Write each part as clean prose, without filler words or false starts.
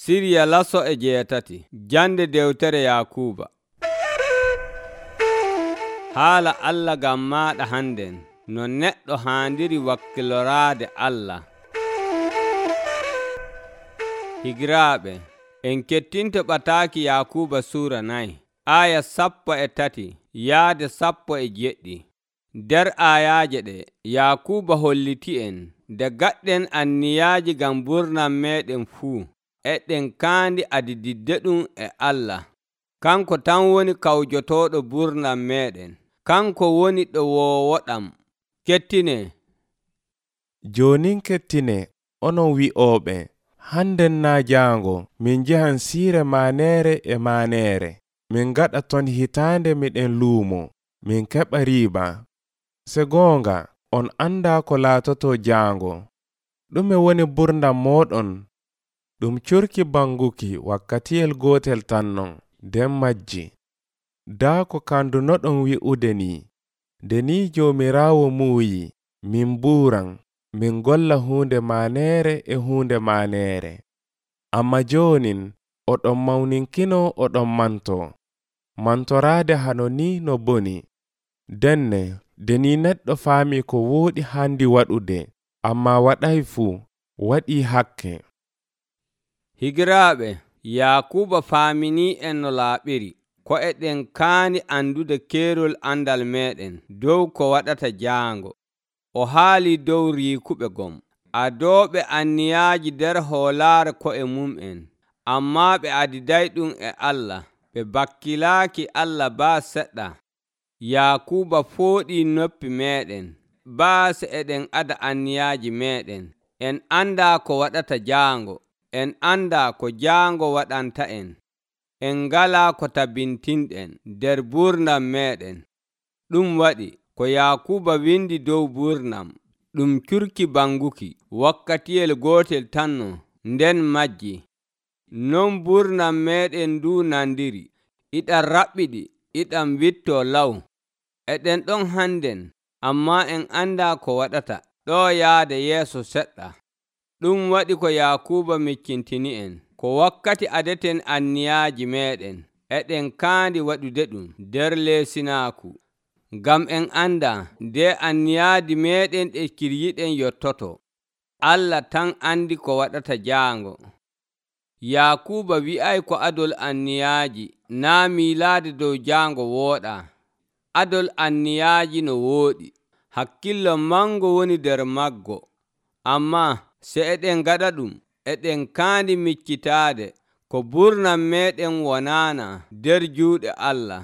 Siriya laso e jeetati. Jande dewtere Yakuuba. Haala Allah ngam maaɗa hannden, no neɗɗo haandiri wakkiloraade Allah. Higiraaɓe, en kettinto ɓataaki Yakuuba suura 4, aya 13 yaade 17. Nder aayaaje ɗe, Yakuuba holliti'en nde gaɗɗen anniyaaji ngam burnam meeɗen fuu, eɗen kaandi adididdeɗum e Allah. Kanko tan woni kawjotooɗo burnam meeɗen. Kanko woni ɗo woowoɗam. Kettinee. Jonin kettinee, onon wi'ooɓe, hannden naa jaango min njahan siire maaneere e maaneere. Min gaɗa ton hitaande miɗen luumo, min keɓa riiba. Se goonga, on andaa ko laatotoo jaango. Ɗume woni burdam mooɗon? Ɗum curki banguki wakkatiyel gootel tan non, nden majji. Daa ko kandunoɗon wi'ude ni, nde ni Joomiraawo muuyi, min buuran, min golla huunde maaneere e huunde maaneere. Amma joonin, oɗon mawninkino oɗon mantoo. Mantoraade hano ni no boni. Denne, nde ni neɗɗo faami ko wooɗi haandi waɗude, amma waɗay fuu, waɗii hakke. Higiraaɓe, Yakuuba faaminii en no laaɓiri, ko eɗen kaani andude keerol andal meeɗen dow ko waɗata jaango. O haali dow riikuɓe gom, adooɓe anniyaaji nder hoolaare ko'e mum'en, ammaa ɓe adidayɗum e Allah, ɓe bakkilaaki Allah baa seɗɗa. Yakuuba fooɗii noppi meeɗen, baase eɗen ada anniyaaji meeɗen. En andaa ko waɗata jaango, en andaa ko jaango waɗanta en. En ngalaa ko tabintinɗen nder burnam meeɗen. Ɗum waɗi ko Yakuuba windi dow burnam, ɗum curki banguki wakkatiyel gootel tanno, nden majji. Non burnam meeɗen ndu nandiri, iɗam raɓɓiɗi, iɗam wittoo law. Eɗen ɗon hannden, ammaa en andaa ko waɗata ɗoo yaade yeeso seɗɗa. Ɗum waɗi ko Yakuuba miccintini en, ko wakkati adeten anniyaaji meeɗen, eɗen kaandi waɗude ɗum nder leesinaaku. Ngam en andaa nde anniyaaji meeɗen ɗe kiryiɗen yottoto, Allah tan andi ko waɗata jaango. Yakuuba wi'ay ko adol anniyaaji naa miilaade dow jaango wooɗaa. Adol anniyaaji no wooɗi, hakkillo mango woni nder maggo. Ammaa se eɗen gaɗa ɗum, eɗen kaandi miccitaade ko burnam meeɗen wonaana nder juuɗe Allah.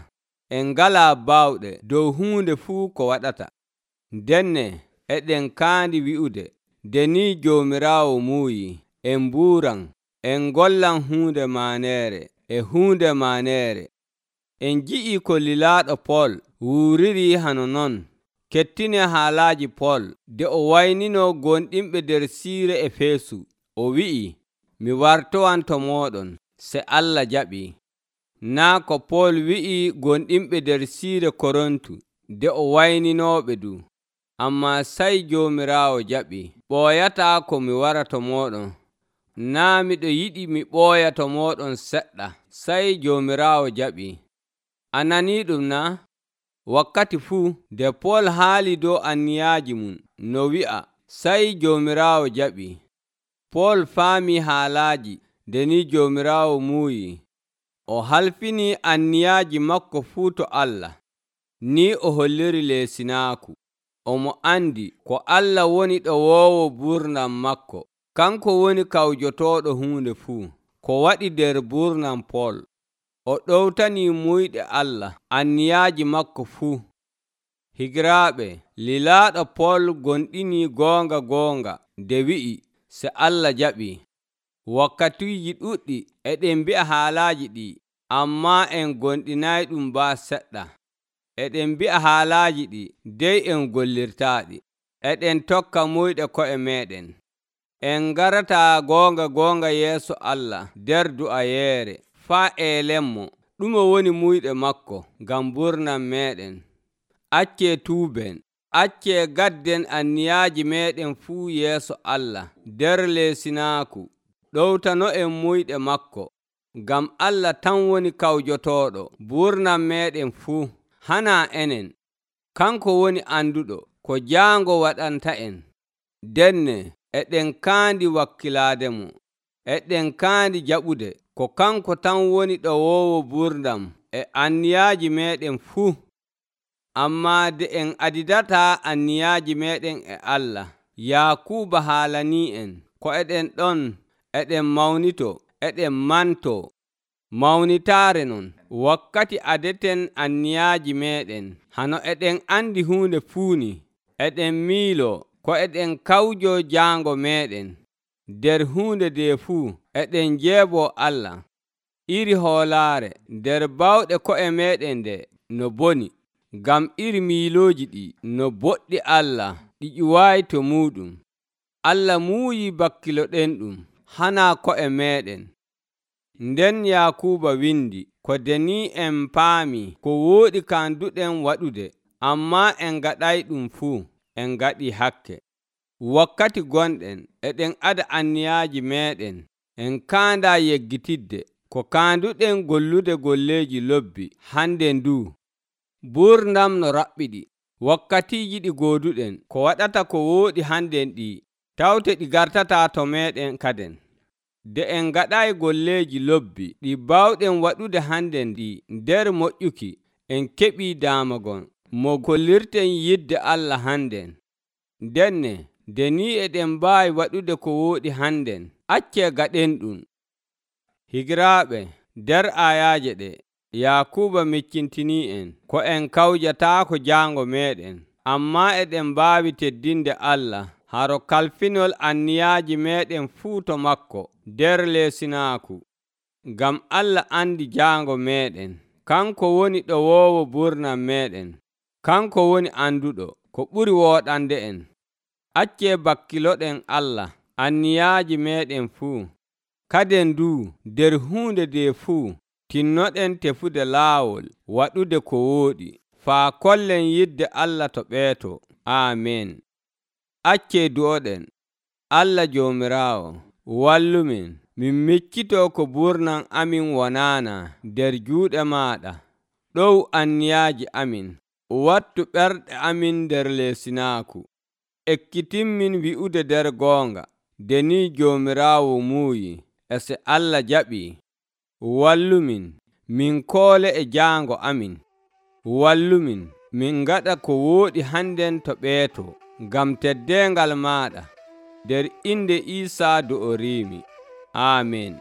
En ngalaa baawɗe dow huunde fuu ko waɗata. Denne eɗen kaandi wi'ude, nde ni Joomiraawo muuyi, en mbuuran, en ngollan huunde maaneere e huunde maaneere. En ji'ii ko lilaaɗo Pol wuuririi hano non. Kettinee haalaaji Pol nde o wayninoo gonɗinɓe nder siire Efeesu. O wi'i, mi wartowanto mooɗon, se Allah jaɓii. Naa ko Pol wi'i gonɗinɓe nder siire Korontu nde o wayninooɓe du. Ammaa sey Joomiraawo jaɓii. Ɓooyataa ko mi wara to mooɗon. Naa miɗo yiɗi mi ɓooya to mooɗon seɗɗa, sey Joomiraawo jaɓii. A nanii ɗum naa? Wakkati fuu nde Pol haali dow anniyaaji mum no wi'a, sey Joomiraawo jaɓii. Pol faamii haalaaji nde ni Joomiraawo muuyi. O halfinii anniyaaji makko fuu to Allah. Ni o holliri leesinaaku. Omo andi ko Allah woni ɗo woowo burnam makko. Kanko woni kawjotooɗo huunde fuu. Ko waɗi nder burnam Pol, o ɗowtanii muyɗe Allah anniyaaji makko fuu. Higiraaɓe, lilaaɗo Pol gonɗinii goonga nde wi'i, se Allah jaɓii. Wakkatiiji ɗuɗɗi eɗen mbi'a haalaaji ɗi, ammaa en gonɗinayɗum baa seɗɗa. Eɗen mbi'a haalaaji ɗi, dey en gollirtaaɗi. Eɗen tokka muyɗe ko'e meeɗen. En ngarataa goonga yeeso Allah nder du'ayeere faa eelenmo ɗume woni muyɗe makko ngam burnam meeɗen. Accee tuuben, accee gadden anniyaaji meeɗen fuu yeeso Allah nder leesinaaku. ɗowtano'en muyɗe makko, ngam Allah tan woni kawjotooɗo burnam meeɗen fuu, hanaa enen. Kanko woni anduɗo ko jaango waɗanta'en. Denne eɗen kaandi wakkilaademo, eɗen kaandi jaɓude ko kanko tan woni ɗowoowo burnam e anniyaaji meeɗen fuu. Ammaa de en adidataa anniyaaji meeɗen e Allah, Yaakuuba haalanii'en ko eɗen ɗon eɗen mawnito, eɗen mantoo. Mawnitaare non, wakkati adeten anniyaaji meeɗen, hano eɗen andi huunde fuuni, eɗen miiloo ko eɗen kawjoo jaango meeɗen. Nder huunde nde fuu eɗen jeeboo Allah. Iri hoolaare nder bawɗe ko'e meeɗen nde no boni, ngam iri miilooji ɗi no boɗɗi Allah ɗi ƴuwaayi to muuɗum. Allah muuyii bakkiloɗenɗum, hanaa ko'e meeɗen. Nden Yaakuuba windi, ko denii en paami ko wooɗi kaanduɗen waɗude, ammaa en ngaɗayɗum fuu, en ngaɗii hakke. Wakkati gonɗen eɗen ada anniyaaji meeɗen, en kaandaa yeggitidde ko kaanduɗen gollude golleeji lobbi hande nduu. Burnam no raɓɓiɗi, wakkatiiji ɗi gooduɗen ko waɗata ko wooɗi hannden ɗi, tawte ɗi gartataa to meeɗen kaden. De en ngaɗaayi golleeji lobbi ɗi baawɗen waɗude hannden ɗi nder moƴƴuki, en keɓii daamagon mo kollirten yidde Allah hannden. Denne nde ni eɗen mbaawi waɗude ko wooɗi hannden, accee gaɗen ɗum. Higiraaɓe, nder ayaaje ɗe Yaakuuba miccintinii'en ko en kawjataako jaango meeɗen, ammaa eɗen mbaawi teddinde Allah haro kalfinol anniyaaji meeɗen fuu to makko nder leesinaaku. Ngam Allah andi jaango meeɗen, kanko woni ɗowoowo burnam meeɗen, kanko woni anduɗo ko ɓuri wooɗande en. Accee bakkiloɗen Allah anniyaaji meeɗen fuu. Kaden nduu nder huunde nde fuu tinnoɗen tefude laawol waɗude ko wooɗi, faa kollen yidde Allah to ɓeeto. Aamen. Accee du'oɗen. Allah Joomiraawo, wallumin, min miccitoo ko burnam amin wonaana nder juuɗe maaɗa. Ɗow anniyaaji amin, wattu ɓerɗe amin nder leesinaaku. Ekkitinmin wi'ude nder goonga, nde ni Joomiraawo muuyi, e se Allah jaɓii. Wallumin, min koole e jaango amin. Wallumin, min ngaɗa ko wooɗi hannden to ɓeeto, ngam teddeengal maaɗa. Nder inde Iisaa do'oriimi. Aamen.